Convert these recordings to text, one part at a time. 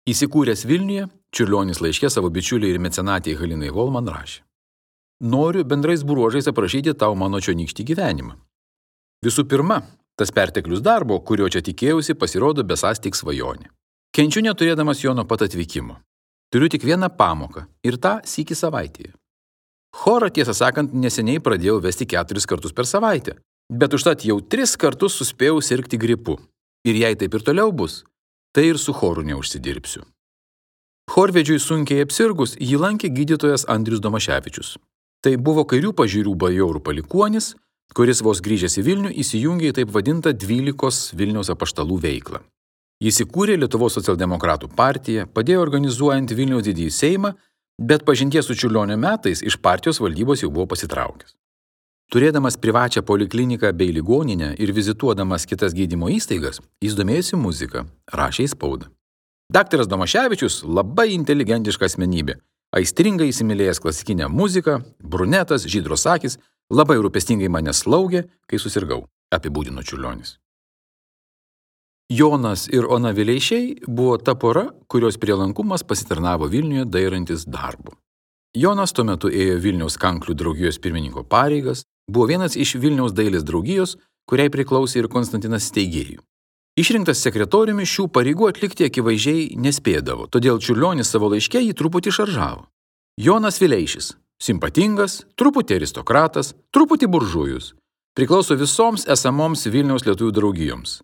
Įsikūręs Vilniuje, Čiurlionis laiške savo bičiuliai ir mecenatei Halinai Holman rašė: Noriu bendrais bruožais aprašyti tau mano čionykštį gyvenimą. Visų pirma, tas perteklius darbo, kurio čia tikėjausi, pasirodo besąs tik svajonė. Kenčiu neturėdamas jo nuo pat atvykimo. Turiu tik vieną pamoką ir tą sykį savaitėje. Chorą, tiesą sakant, neseniai pradėjau vesti 4 kartus per savaitę, bet užtat jau 3 kartus suspėjau sirgti gripu. Ir jei taip ir toliau bus, tai ir su choru neužsidirbsiu. Chorvedžiui sunkiai apsirgus jį lankė gydytojas Andrius Domaševičius. Tai buvo kairių pažiūrų bajorų palikuonis, kuris vos grįžęs į Vilnių įsijungė į taip vadintą 12 Vilniaus apaštalų veiklą. Jis įkūrė Lietuvos socialdemokratų partiją, padėjo organizuojant Vilniaus didįjį Seimą, bet pažinties su Čiurlionio metais iš partijos valdybos jau buvo pasitraukęs. Turėdamas privačią polikliniką bei ligoninę ir vizituodamas kitas gydymo įstaigas, jis domėjosi muziką, rašė į spaudą. Daktaras Domaševičius labai inteligentiška asmenybė, aistringai įsimylėjęs klasikinę muziką, brunetas, žydros akys, labai rūpestingai mane slaugė, kai susirgau, apibūdino Čiurlionis. Jonas ir Ona Vileišiai buvo ta pora, kurios prielankumas pasitarnavo Vilniuje dairantis darbu. Jonas tuo metu ėjo Vilniaus kanklių draugijos pirmininko pareigas, buvo vienas iš Vilniaus dailės draugijos, kuriai priklausė ir Konstantinas Steigėjų. Išrinktas sekretoriumi šių pareigų atlikti akivaizdžiai nespėdavo, todėl Čiurlionis savo laiške jį truputį šaržavo. Jonas Vileišis – simpatingas, truputį aristokratas, truputį buržujus. Priklauso visoms esamoms Vilniaus lietuvių draugijoms.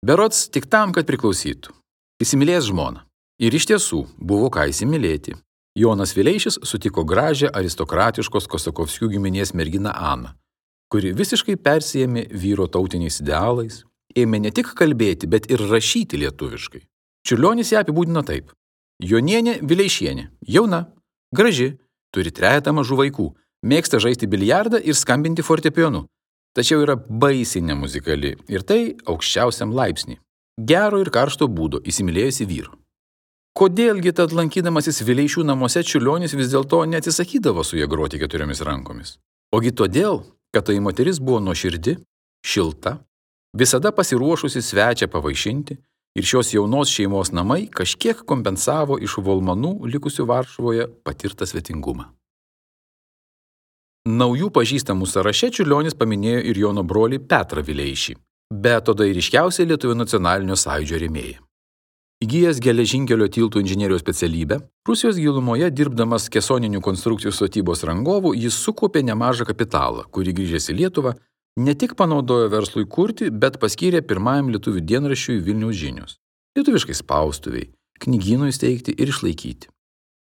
Berods tik tam, kad priklausytų. Įsimylėjęs žmoną. Ir iš tiesų buvo ką įsimylėti. Jonas Vileišis sutiko gražią aristokratiškos Kosakovskių giminės merginą Aną, kuri visiškai persijėmė vyro tautiniais idealais, ėmė ne tik kalbėti, bet ir rašyti lietuviškai. Čiurlionis ją apibūdino taip. Jonienė Vileišienė, jauna, graži, turi 3 mažų vaikų, mėgsta žaisti biliardą ir skambinti fortepijonu, tačiau yra baisiai nemuzikali ir tai aukščiausiam laipsnį. Gero ir karšto būdo įsimylėjusi vyru. Kodėlgi tad lankydamasis Vileišių namuose Čiurlionis vis dėlto neatsisakydavo su ja groti 4 rankomis? Ogi todėl, kad tai moteris buvo nuoširdi, šilta, visada pasiruošusi svečią pavaišinti ir šios jaunos šeimos namai kažkiek kompensavo iš volmanų likusių Varšuvoje patirtą svetingumą. Naujų pažįstamų sąraše Čiurlionis paminėjo ir Jono brolį Petrą Vileišį, bet tada ir ryškiausiai Lietuvių nacionalinio sąjūdžio rėmėją. Įgijęs geležinkelio tiltų inžinerijos specialybę, Rusijos gilumoje dirbdamas kesoninių konstrukcijų statybos rangovų, jis sukaupė nemažą kapitalą, kurį grįžęs į Lietuvą ne tik panaudojo verslui kurti, bet paskyrė pirmajam lietuvių dienraščiui Vilniaus žinios. Lietuviškai spaustuviai, knygynui steigti ir išlaikyti.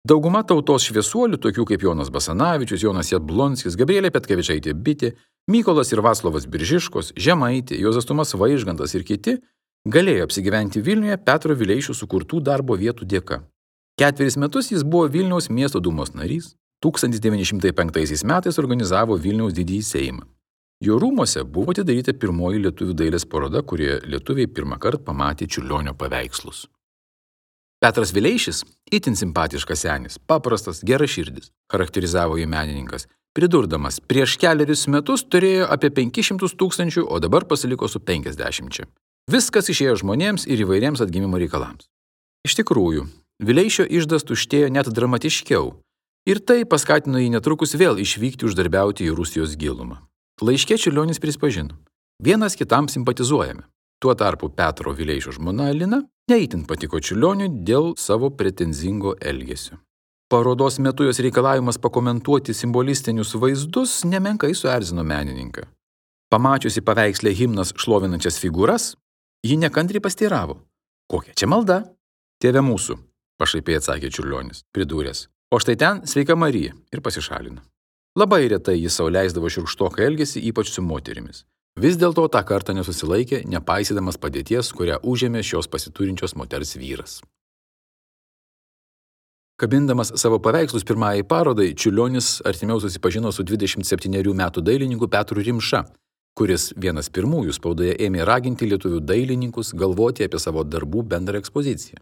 Dauguma tautos šviesuolių, tokių kaip Jonas Basanavičius, Jonas Jablonskis, Gabrielė Petkevičaitė Bitė, Mykolas ir Vaclovas Biržiškos, Žemaitė, Juozas Tumas Vaižgantas ir kiti, galėjo apsigyventi Vilniuje Petro Vileišių sukurtų darbo vietų dėka. 4 metus jis buvo Vilniaus miesto dūmos narys, 1905 metais organizavo Vilniaus didįjį Seimą. Jo rūmuose buvo atidaryta pirmoji lietuvių dailės paroda, kurioje lietuviai pirmą kartą pamatė Čiurlionio paveikslus. Petras Vileišis, itin simpatiškas senis, paprastas, geraširdis, charakterizavo jį menininkas, pridurdamas, prieš 4 metus turėjo apie 500 000, o dabar pasiliko su 50. Viskas išėjo žmonėms ir įvairiems atgimimo reikalams. Iš tikrųjų, Vileišio iždas tuštėjo net dramatiškiau, ir tai paskatino jį netrukus vėl išvykti uždarbiauti į Rusijos gilumą. Laiške Čiurlionis prispažino, vienas kitam simpatizuojame. Tuo tarpu Petro Vileišio žmona Alina neįtin patiko Čiurlioniui dėl savo pretenzingo elgesio. Parodos metu jos reikalavimas pakomentuoti simbolistinius vaizdus nemenkai suerzino menininką. Pamačiusi paveiksle himnas šlovinančias figūras, ji nekantriai pasteiravo. Kokia čia malda? Tėve mūsų, pašaipiai atsakė Čiurlionis, pridūręs. O štai ten sveika Marija ir pasišalino. Labai retai jis sau leisdavo šiurkštoką elgesį, ypač su moterimis. Vis dėlto tą kartą nesusilaikė, nepaisydamas padėties, kurią užėmė šios pasiturinčios moters vyras. Kabindamas savo paveikslus pirmajai parodai, Čiurlionis artimiau susipažino su 27 metų dailininku Petru Rimša, kuris vienas pirmųjų spaudoje ėmė raginti lietuvių dailininkus galvoti apie savo darbų bendrą ekspoziciją.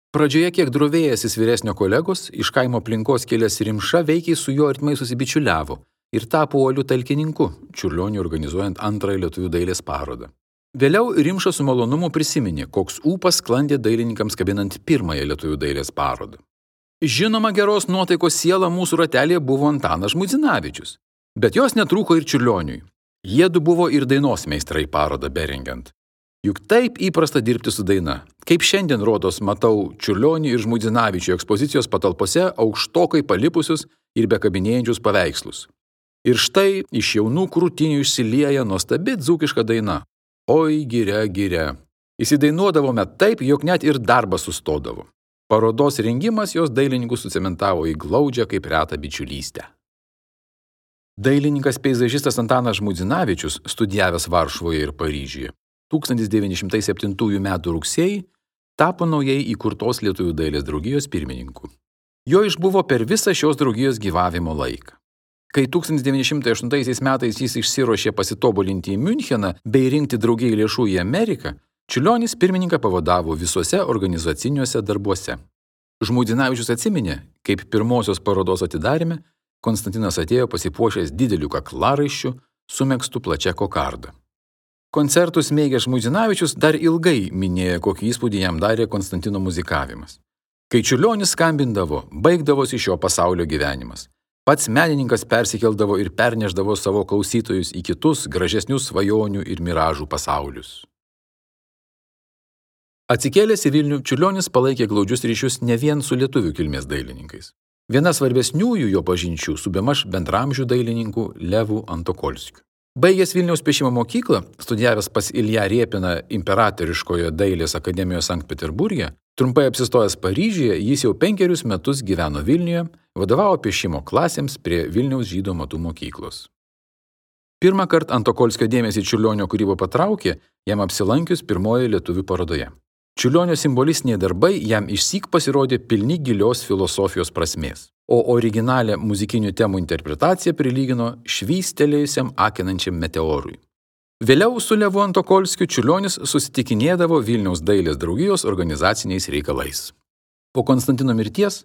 Pradžioje kiek drovėjęsis vyresnio kolegos, iš kaimo aplinkos kilęs Rimša veikiai su juo artimai susibičiuliavo ir tapo uoliu talkininku, Čiurlioniui organizuojant antrąją lietuvių dailės parodą. Vėliau Rimša su malonumu prisiminė, koks ūpas sklandė dailininkams kabinant pirmąją lietuvių dailės parodą. Žinoma, geros nuotaikos siela mūsų ratelėje buvo Antanas Žmuidzinavičius, bet jos netrūko ir Čiurlioniui. Jiedu buvo ir dainos meistrai parodą berengiant. Juk taip įprasta dirbti su daina. Kaip šiandien rodos matau Čiurlionį ir Žmuidzinavičių ekspozicijos patalpose aukštokai palipusius ir bekabinėjančius paveikslus. Ir štai iš jaunų krūtinių išsilieja nuostabi dzūkiška daina. Oi, giria, giria. Įsidainuodavome taip, jog net ir darbas sustodavo. Parodos rengimas jos dailininkus sucementavo į glaudžią kaip retą bičiulystę. Dailininkas peizažistas Antanas Žmuidzinavičius, studijavęs Varšuvoje ir Paryžiuje, 1907 m. rugsėjį tapo naujai įkurtos Lietuvių dailės draugijos pirmininku. Jo išbuvo per visą šios draugijos gyvavimo laiką. Kai 1908 metais jis išsiruošė pasitobulinti į Miuncheną bei rinkti draugijai lėšų į Ameriką, Čiurlionis pirmininką pavadavo visuose organizaciniuose darbuose. Žmuidzinavičius atsiminė, kaip pirmosios parodos atidaryme Konstantinas atėjo pasipuošęs dideliu kaklaraiščiu su megztu plačia kokarda. Koncertus mėgęs Žmuidzinavičius dar ilgai minėjo, kokį įspūdį jam darė Konstantino muzikavimas. Kai Čiurlionis skambindavo, baigdavosi šio pasaulio gyvenimas. Pats menininkas persikeldavo ir perneždavo savo klausytojus į kitus gražesnius svajonių ir miražų pasaulius. Atsikėlęs į Vilnių, Čiurlionis palaikė glaudžius ryšius ne vien su lietuvių kilmės dailininkais. Viena svarbesniųjų jo pažinčių su bemaž bendramžių dailininku Levu Antokolskiu. Baigęs Vilniaus piešimo mokyklą, studijavęs pas Ilją Riepiną Imperatoriškojo dailės akademijoje Sankt Peterburge, trumpai apsistojęs Paryžiuje, jis jau 5 metus gyveno Vilniuje, vadovavo piešimo klasėms prie Vilniaus žydų amatų mokyklos. Pirmą kartą Antokolskio dėmesį Čiurlionio kūryba patraukė, jam apsilankius pirmojoje lietuvių parodoje. Čiurlionio simbolistiniai darbai jam išsyk pasirodė pilni gilios filosofijos prasmės, o originalią muzikinių temų interpretaciją prilygino švystelėjusiam akinančiam meteorui. Vėliau su Levu Antokolskiu Čiurlionis susitikinėdavo Vilniaus dailės draugijos organizaciniais reikalais. Po Konstantino mirties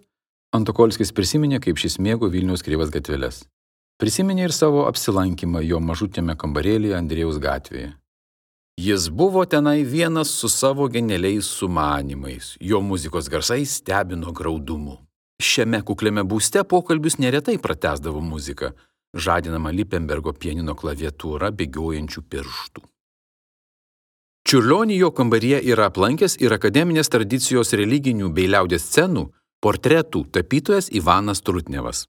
Antokolskis prisiminė, kaip šis mėgo Vilniaus kreivas gatveles. Prisiminė ir savo apsilankymą jo mažutėme kambarėlyje Andriejaus gatvėje. Jis buvo tenai vienas su savo genialiais sumanymais, jo muzikos garsai stebino graudumu. Šiame kukliame būste pokalbius neretai pratęsdavo muzika, žadinama Lippenbergo pianino klaviatūra bėgiojančių pirštų. Čiurlionį jo kambaryje yra aplankęs ir akademinės tradicijos religinių bei liaudies scenų portretų tapytojas Ivanas Trutnevas.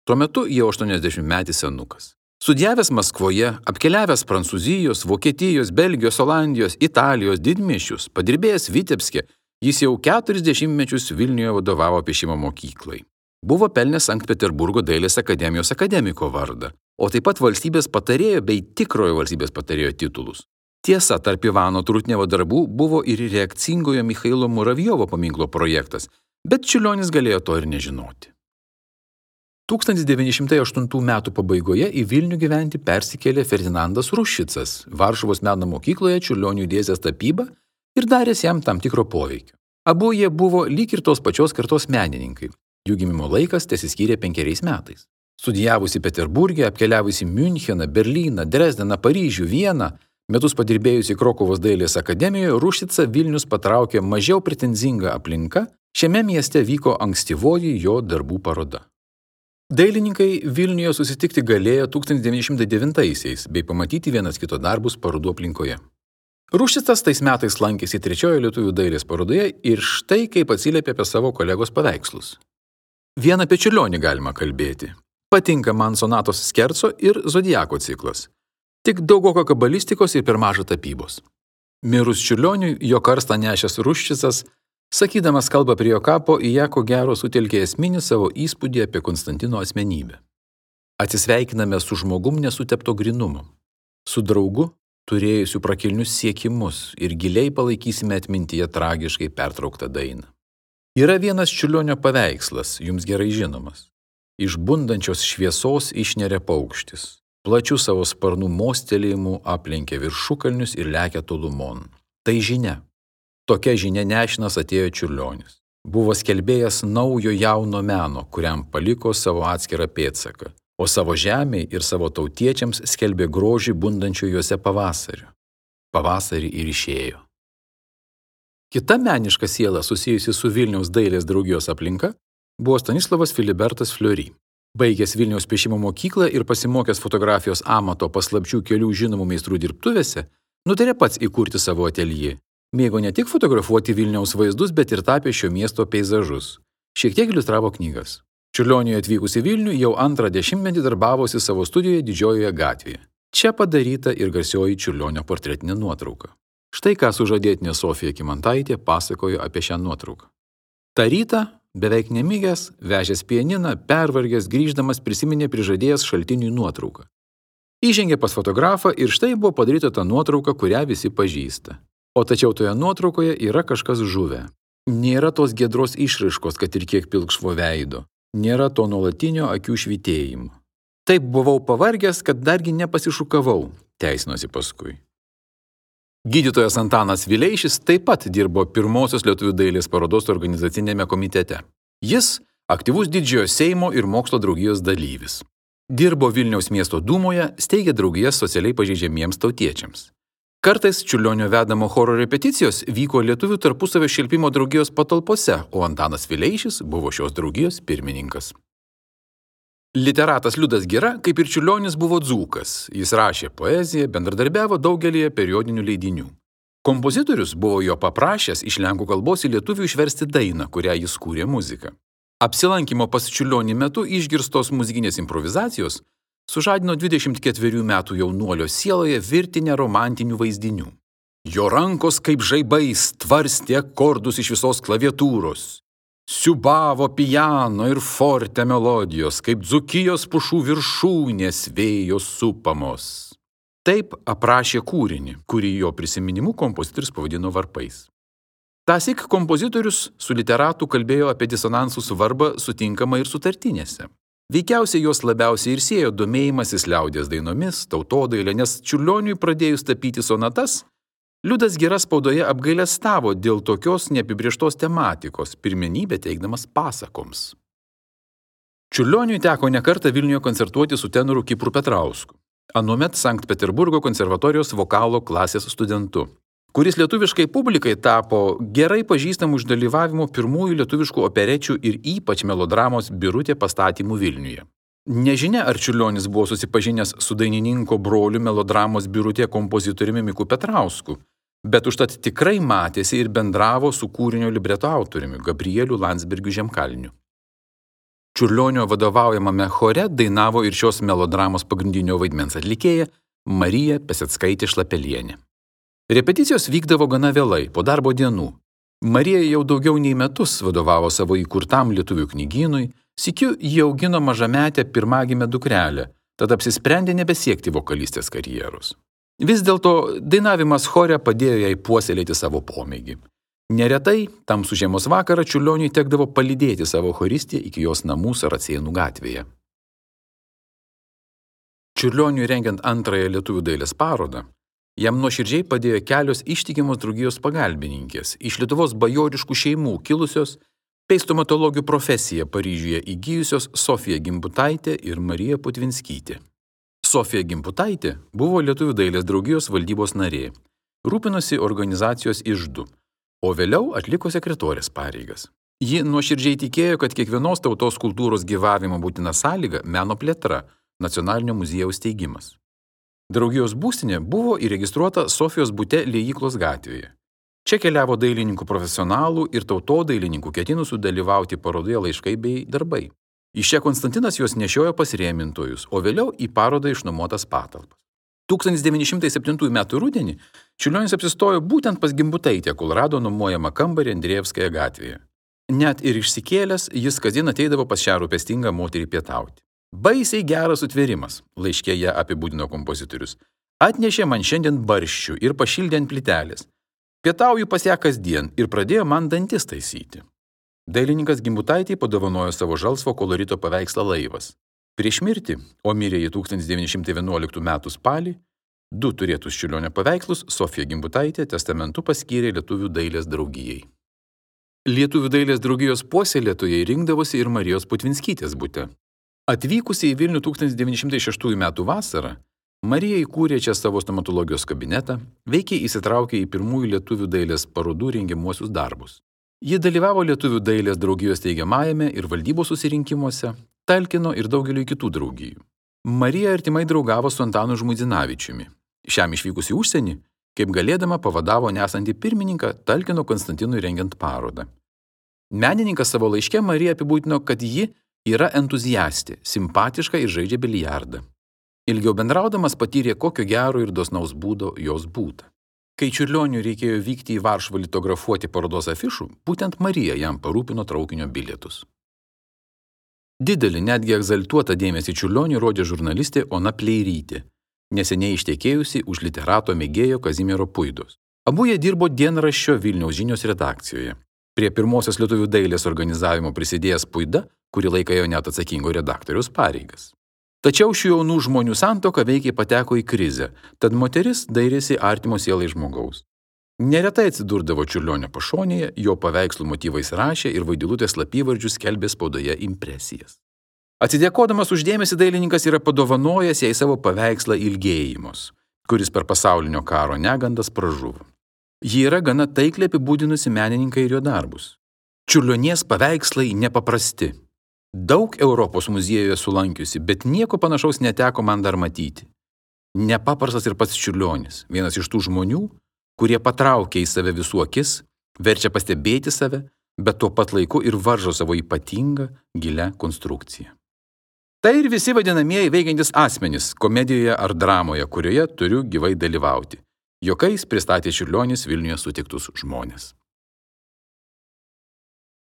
Tuo metu jau 80-metis senukas. Studijavęs Maskvoje, apkeliavęs Prancūzijos, Vokietijos, Belgijos, Olandijos, Italijos didmiesčius, padirbėjęs Vitebske, jis jau 40 metus Vilniuje vadovavo piešimo mokyklai. Buvo pelnęs Sankt Peterburgo dailės akademijos akademiko vardą, o taip pat valstybės patarėjo bei tikrojo valstybės patarėjo titulus. Tiesa, tarp Ivano Trutnevo darbų buvo ir reakcingojo Michailo Muravjovo paminklo projektas, bet Čiurlionis galėjo to ir nežinoti. 1908 metų pabaigoje į Vilnių gyventi persikėlė Ferdinandas Ruščicas, Varšuvos meno mokykloje Čiurlioniui dėstęs tapybą ir daręs jam tam tikro poveikio. Abu jie buvo lyg ir tos pačios kartos menininkai. Jų gimimo laikas tesiskyrė 5 metais. Studijavusi Peterburge, apkeliavusi Miuncheną, Berlyną, Dresdeną, Paryžių, Vieną, metus padirbėjusi Krokuvos dailės akademijoje, Ruščicą Vilnius patraukė mažiau pretenzinga aplinka, šiame mieste vyko ankstyvoji jo darbų paroda. Dailininkai Vilniuje susitikti galėjo 1909-aisiais bei pamatyti vienas kito darbus parodų aplinkoje. Ruščicas tais metais lankėsi 3-ojo lietuvių dailės parodoje ir štai kaip atsiliepė apie savo kolegos paveikslus. Vien apie Čiurlionį galima kalbėti. Patinka man sonatos Skerco ir Zodiako ciklas. Tik daugoka kabalistikos ir per maža tapybos. Mirus Čiurlioniui, jo karstą nešęs Ruščicas, sakydamas kalbą prie jo kapo, į ją ko gero sutelkė esminį savo įspūdį apie Konstantino asmenybę. Atsisveikiname su žmogum nesutepto grynumo, su draugu, turėjusiu prakilnius siekimus ir giliai palaikysime atmintyje tragiškai pertrauktą dainą. Yra vienas Čiurlionio paveikslas, jums gerai žinomas. Iš bundančios šviesos išneria paukštis, plačių savo sparnų mostelėjimų aplenkia viršukalnius ir lekia tolumon. Tai žinia. Tokia žinia nešinas atėjo Čiurlionis. Buvo skelbėjas naujo jauno meno, kuriam paliko savo atskirą pėdsaką, o savo žemei ir savo tautiečiams skelbė grožį bundančio juose pavasario. pavasarį ir išėjo. Kita meniška siela susijusi su Vilniaus dailės draugijos aplinka buvo Stanislavas Filibertas Fleury. Baigęs Vilniaus piešimo mokyklą ir pasimokęs fotografijos amato paslapčių kelių žinomų meistrų dirbtuvėse, nutarė pats įkurti savo ateljė. Mėgo ne tik fotografuoti Vilniaus vaizdus, bet ir tapė šio miesto peizažus. Šiek tiek iliustravo knygas. Čiurlioniui atvykus į Vilnių jau antrą dešimtmetį darbavosi savo studijoje Didžiojoje gatvėje. Čia padaryta ir garsioji Čiurlionio portretinė nuotrauka. Štai ką sužadėtinė Sofija Kymantaitė pasakojo apie šią nuotrauką. Ta rytą, beveik nemigęs, vežęs pianiną, pervargęs, grįždamas prisiminė prižadėjęs šaltiniui nuotrauką. Įžengė pas fotografą ir štai buvo padaryta ta nuotrauka, kurią visi pažįsta. O tačiau toje nuotraukoje yra kažkas žuvę. Nėra tos giedros išraiškos, kad ir kiek pilkšvo veido. Nėra to nuolatinio akių švytėjimo. Taip buvau pavargęs, kad dargi nepasišukavau, teisinosi paskui. Gydytojas Antanas Vileišis taip pat dirbo pirmosios lietuvių dailės parodos organizacinėme komitete. Jis aktyvus Didžiojo Seimo ir mokslo draugijos dalyvis. Dirbo Vilniaus miesto dūmoje, steigė draugijas socialiai pažeidžiamiems tautiečiams. Kartais Čiurlionio vedamo choro repeticijos vyko lietuvių tarpusavio šelpimo draugijos patalpose, o Antanas Vileišis buvo šios draugijos pirmininkas. Literatas Liudas Gira, kaip ir Čiurlionis, buvo dzūkas. Jis rašė poeziją, bendradarbiavo daugelyje periodinių leidinių. Kompozitorius buvo jo paprašęs iš lenkų kalbos į lietuvių išversti dainą, kurią jis kūrė muziką. Apsilankimo pas Čiurlionį metu išgirstos muzikinės improvizacijos sužadino 24 metų jaunuolio sieloje virtinę romantinių vaizdinių. Jo rankos kaip žaibais tvarstė akordus iš visos klaviatūros. Siubavo piano ir forte melodijos, kaip Dzūkijos pušų viršūnės vėjo supamos. Taip aprašė kūrinį, kurį jo prisiminimu kompozitorius pavadino Varpais. Tąsyk kompozitorius su literatu kalbėjo apie disonansų svarbą sutinkama ir sutartinėse. Veikiausiai jos labiausiai ir siejo domėjimasis liaudies dainomis, tautodailė, nes Čiurlioniui pradėjus tapyti sonatas, Liudas Gira spaudoje apgailestavo dėl tokios neapibrėžtos tematikos, pirmenybę teikdamas pasakoms. Čiurlioniui teko nekartą Vilniuje koncertuoti su tenoru Kipru Petrausku, anuomet Sankt Peterburgo konservatorijos vokalo klasės studentu, kuris lietuviškai publikai tapo gerai pažįstamų iš dalyvavimo pirmųjų lietuviškų operečių ir ypač melodramos Birutė pastatymų Vilniuje. Nežinia, ar Čiurlionis buvo susipažinęs su dainininko broliu melodramos Birutė kompozitoriumi Miku Petrausku, bet užtat tikrai matėsi ir bendravo su kūrinio libreto autoriumi Gabrieliu Landsbergiu Žemkalniu. Čiurlionio vadovaujamame chore dainavo ir šios melodramos pagrindinio vaidmens atlikėja Marija Peseckaitė Šlapelienė. Repeticijos vykdavo gana vėlai, po darbo dienų. Marija jau daugiau nei metus vadovavo savo įkurtam lietuvių knygynui, sykiu jį augino mažametę pirmagimę dukrelę, tad apsisprendė nebesiekti vokalistės karjeros. Vis dėlto dainavimas chore padėjo jai puoselėti savo pomėgį. Neretai, tamsų žiemos vakarą Čiurlioniui tekdavo palydėti savo choristę iki jos namų Saracėnų gatvėje. Čiurlioniui rengiant antrąją lietuvių dailės parodą, jam nuoširdžiai padėjo kelios ištikimos draugijos pagalbininkės, iš Lietuvos bajoriškų šeimų kilusios, bei stomatologių profesiją Paryžiuje įgijusios Sofija Gimbutaitė ir Marija Putvinskytė. Sofija Gimbutaitė buvo Lietuvių dailės draugijos valdybos narė, rūpinosi organizacijos iždu, o vėliau atliko sekretorės pareigas. Ji nuoširdžiai tikėjo, kad kiekvienos tautos kultūros gyvavimo būtina sąlyga meno plėtra, nacionalinio muziejaus steigimas. Draugijos būstinė buvo įregistruota Sofijos bute Liejyklos gatvėje. Čia keliavo dailininkų profesionalų ir tautodailininkų ketinusių dalyvauti parodoje laiškai bei darbai. Iš čia Konstantinas juos nešiojo pas rėmintojus, o vėliau į parodą išnuomotas patalpas. 1907 m. rudenį Čiurlionis apsistojo būtent pas Gimbutaitę, kol rado nuomojamą kambarį Andrejevskoje gatvėje. Net ir išsikėlęs, jis kasdien ateidavo pas šią rūpestingą moterį pietauti. Baisiai geras sutvėrimas, laiške ją apibūdino kompozitorius. Atnešė man šiandien barščių ir pašildė ant plytelės. Pietauju pas ją kasdien ir pradėjo man dantis taisyti. Dailininkas Gimbutaitei padovanojo savo žalsvo kolorito paveikslą Laivas. Prieš mirtį, o mirė į 1911 m. spalį, 2 turėtus Čiurlionio paveikslus Sofija Gimbutaitė testamentu paskyrė Lietuvių dailės draugijai. Lietuvių dailės draugijos puoselėtojai rinkdavosi ir Marijos Putvinskytės bute. Atvykusi į Vilnių 1906 m. vasarą, Marija įkūrė čia savo stomatologijos kabinetą, veikiai įsitraukė į pirmųjų lietuvių dailės parodų rengiamuosius darbus. Ji dalyvavo lietuvių dailės draugijos steigiamajame ir valdybos susirinkimuose, talkino ir daugeliu kitų draugijų. Marija artimai draugavo su Antanu Žmuidzinavičiumi. Šiam išvykus į užsienį, kaip galėdama pavadavo nesantį pirmininką talkino Konstantinui rengiant parodą. Menininkas savo laiške Marija apibūdino, kad ji yra entuziastė, simpatiška ir žaidžia biliardą. Ilgiau bendraudamas patyrė, kokio gero ir dosnaus būdo jos būta. Kai Čiurlioniui reikėjo vykti į Varšuvą litografuoti parodos afišų, būtent Marija jam parūpino traukinio bilietus. Didelį, netgi egzaltuotą dėmesį Čiurlioniui rodė žurnalistė Ona Pleirytė, neseniai ištekėjusi už literato mėgėjo Kazimiero Puidos. Abu jie dirbo dienraščio Vilniaus žinios redakcijoje. Prie pirmosios lietuvių dailės organizavimo prisidėjęs Puida, kurį laiką ėjo net atsakingo redaktoriaus pareigas. Tačiau šių jaunų žmonių santuoka veikiai pateko į krizę, tad moteris dairėsi artimo sielai žmogaus. Neretai atsidurdavo Čiurlionio pašonėje, jo paveikslų motyvais rašė ir vaidilutės slapyvardžius skelbė spaudoje impresijas. Atsidėkodamas už dėmesį dailininkas yra padovanojęs jai savo paveikslą Ilgėjimos, kuris per pasaulinio karo negandas pražuvo. Ji yra gana taikliai apibūdinusi menininką ir jo darbus. Čiurlionies paveikslai nepaprasti. Daug Europos muziejuje sulankiusi, bet nieko panašaus neteko man dar matyti. Nepaprastas ir pats Čiurlionis, vienas iš tų žmonių, kurie patraukia į save visų akis, verčia pastebėti save, bet tuo pat laiku ir varžo savo ypatingą, gilią konstrukciją. Tai ir visi vadinamieji veikiantis asmenys komedijoje ar dramoje, kurioje turiu gyvai dalyvauti. Juokais pristatė Čiurlionis Vilniuje sutiktus žmones.